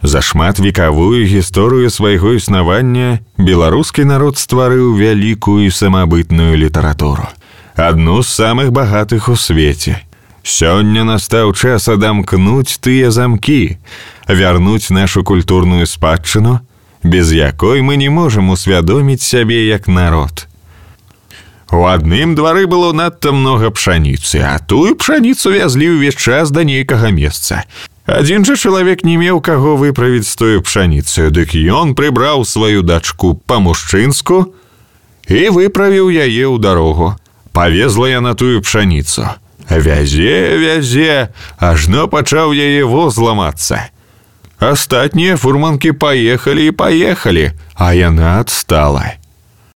За шматвекавую гісторыю свайго існавання беларускі народ стварыў вялікую і самабытную літаратуру. Адну з самых багатых у свеце. Сёння настаў час адамкнуць тыя замкі, вярнуць нашу культурную спадчыну, без якой мы не можам усвядоміць сябе як народ. У адным двары было надта многа пшаніцы, а тую пшаніцу вязлі ўвесь час да нейкага месца. Адзін жа чалавек не меў каго выправіць з тою пшаніцаю, дык ён прыбраў сваю дачку па-мужчынску і выправіў яе ў дарогу. Павезла яна тую пшаніцу. Вязе, ажно пачаў яе воз ламацца. Астатнія фурманкі паехалі, а яна адстала.